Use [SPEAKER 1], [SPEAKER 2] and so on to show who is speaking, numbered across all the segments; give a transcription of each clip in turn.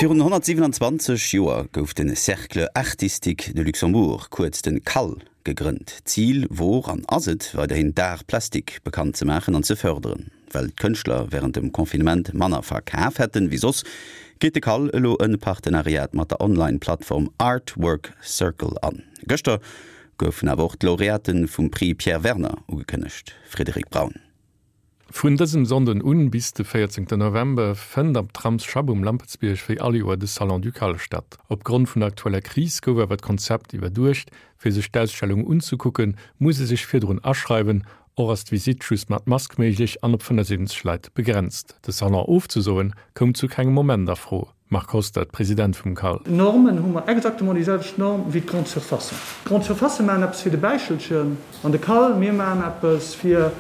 [SPEAKER 1] Virun 127 Joer gouf de Cercle Artistique de Luxembourg, kuerz den CAL, gegrënnt. Zil wor an ass et weiderhin d'Arts plastiques bekannt ze maachen an ze fërderen. Well d'Kënschtler wärend dem Confinement manner verkaf hätten wéi soss, geet de CAL elo e Partenariat mat der Online-Plattform Artwork Circle an. Gëschter goufen awer och d'Laureate vum Prix Pierre Werner ugekënnegt. Frédéric Braun.
[SPEAKER 2] Vun dësem Sonnden un bis de 14 November fënnt am Tramsschapp um Lampertsbierg wéi all Joer de Salon Ducal statt. Op Grond vun der aktueller Kris gouf awer d'Konzept iwwerduecht, Fir sech d'Ausstellung unzekucken, muss ee sech virdrun aschreiwen. Och ass d'Visitt just mat Mask méiglech an op 75 Leit begrenzt. De Salon ofzesoen, koum zu kengem Moment a Fro. Marc Hostert, President vum CAL.
[SPEAKER 3] Normen hu mer exactement déi selwecht Norm wéi d'Grande Surfacen. D'Grande Surfacë maachen eppes fir de Bäichelchen an de CAL, mir maachen eppes fir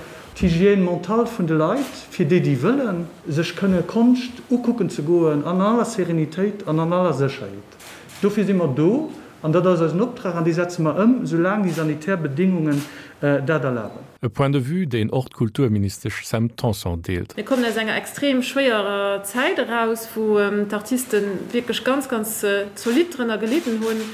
[SPEAKER 3] d'Hygiène mentale vun de Leit, fir déi, déi wëllen, sech kënne Konscht ukucken ze goen an aller Sérénitéit an an aller Sécherheet. Dofir si mer do an dat ass eisen Optrag an dee setze mer ëm, soulaang déi sanitär Bedingungen dat erlaben.
[SPEAKER 2] E Point de vue, deen och d'Kulturministesch Sam Tanson deelt.
[SPEAKER 4] Mir kommen aus enger extrem schwéierer Zäit eraus, wou d'Artiste wierklech ganz, ganz zolidd drënner gelidden hunn.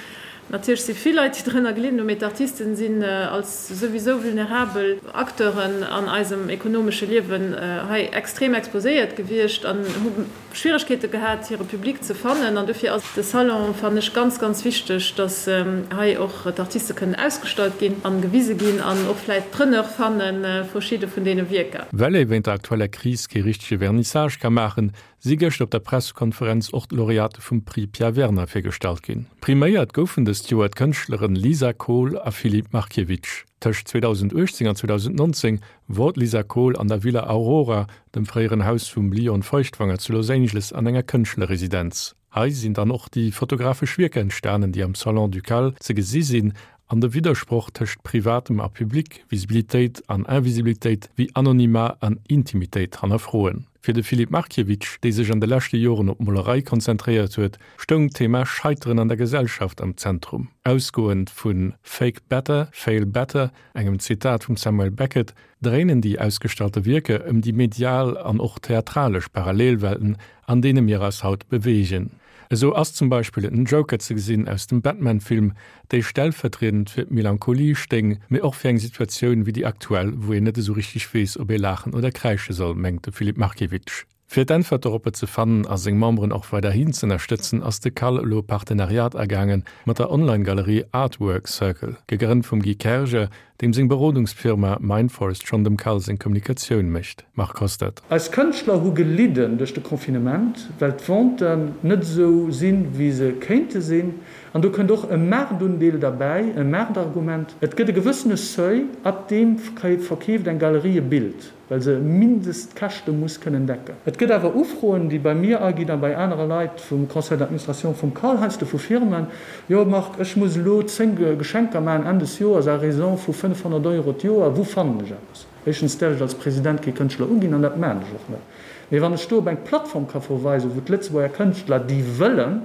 [SPEAKER 4] Natierlech si vill Leit, déi drënner gelidden hunn, mee d'Artisten sinn als souwisou vulnerabel Acteuren an eisem ekonomesche Liewen hei extrem exposéiert gewiescht an hu Schwieregkeete gehat, hire Public ze fannen. An dofir ass de Salon, fannen ech, ganz, ganz wichteg, dass hei och d'Artiste kënnen ausgestallt ginn a gewise ginn an och vläicht Preneur fanne verschidde vun deene Wierker.
[SPEAKER 2] Well ee wéint der aktueller Kris kee richtege Vernissage ka maachen, si gëschter op der Pressekonferenz och d'Laureate vum Prix Pierre Werner virgestallt ginn. Priméiert goufen dëst Joer d'Kënschtleren Lisa Kohl a Filip Markiewicz. Tëscht 2018 an 2019 wor d'Lisa Kohl an der Villa Aurora, dem fréieren Haus vum Lion Feuchtwanger zu Los Angeles, an enger Kënschtlerresidenz. Hei sinn dann och déi fotografesch Wierker entstanen, déi am Salon Ducal ze gesi sinn an de Widdersproch tëscht Privatem a Public, Visibilitéit an Invisibilitéit, wéi Anonymat an Intimitéit hannerfroen. Fir de Filip Markiewicz, dee sech an de leschte Joren op d'Molerei konzentréiert huet, stoung d'Thema Scheiteren an der Gesellschaft am Zentrum. Ausgoend vu Fake better, fail better, engem Zitat vum Samuel Beckett, dréinen déi ausgestallte Wierker ëm déi medial an och theatralesch Parallelwelten, an deene mir eis haut beweegen. Esou ass zum Beispill en Joker ze gesinn aus dem Batman-Film, déi stellvertriedend fir d'Melancholie stéing, mee och fir eng Situatioun wéi déi aktuell, wou een net esou richteg weess, ob ee laachen oder kräische soll, mengt de Filip Markiewicz. Fir d'Äntwert doropper ze fannen a seng Memberen och weiderhin z'ënnerstëtzen, ass de CAL elo e Partenariat agaange mat der Online-Galerie Artwork Circle, gegrënnt vum Guy Kerger, deem seng Berodungsfirma Mindforest schonn dem CAL seng Kommunikatioun mécht. Marc Hostert.
[SPEAKER 3] Eis Kënschtler hu gelidden duerch de Confinement, well d'Venten net esou sinn, wéi se kéinte sinn. An do kënnt och e Maartundeel derbäi, e Maartargument. Et gëtt e gewëssene Seuil, ab deem verkeeft eng Galerie e Bild. well se Mindestkäschte muss kënnen decken. Et gëtt awer Ufroen, déi bei mir aginn a bei anere Leit vum Conseil d'administration vum CAL, heiansdo vu Firmen, Jo Marc, ech muss elo 10 Geschenker maachen Enn des Joers à raison vu 500 Euro d'Joer, wou fannen ech eppes? Éischtens däerf ech als President kee Kënschtler uginn an dat maachen ech och net. Mee wann ech do op eng Plattform ka verweisen, wou d'Lëtzebuerger Kënschtler, déi wëllen,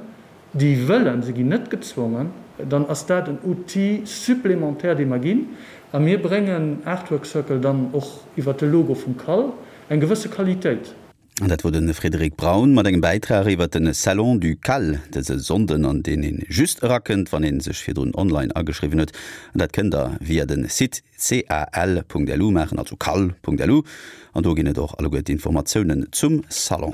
[SPEAKER 3] déi wëllen, se ginn net gezwongen, dann ass dat en Outil supplémentaire, dee mer ginn. A mir bréngen Artwork Circle dann och iwwert de Logo vum CAL eng gewësse Qualitéit.
[SPEAKER 1] An dat wor de Frédéric Braun mat engem Bäitrag iwwert de Salon du CAL dëse Sonnden, an deen ee just erakënnt, wann ee sech virdrun online ageschriwwen huet. An dat kënnt der via de Site cal.lu maachen, also cal.lu. An do ginn et och alleguer d'Informatiounen zum Salon.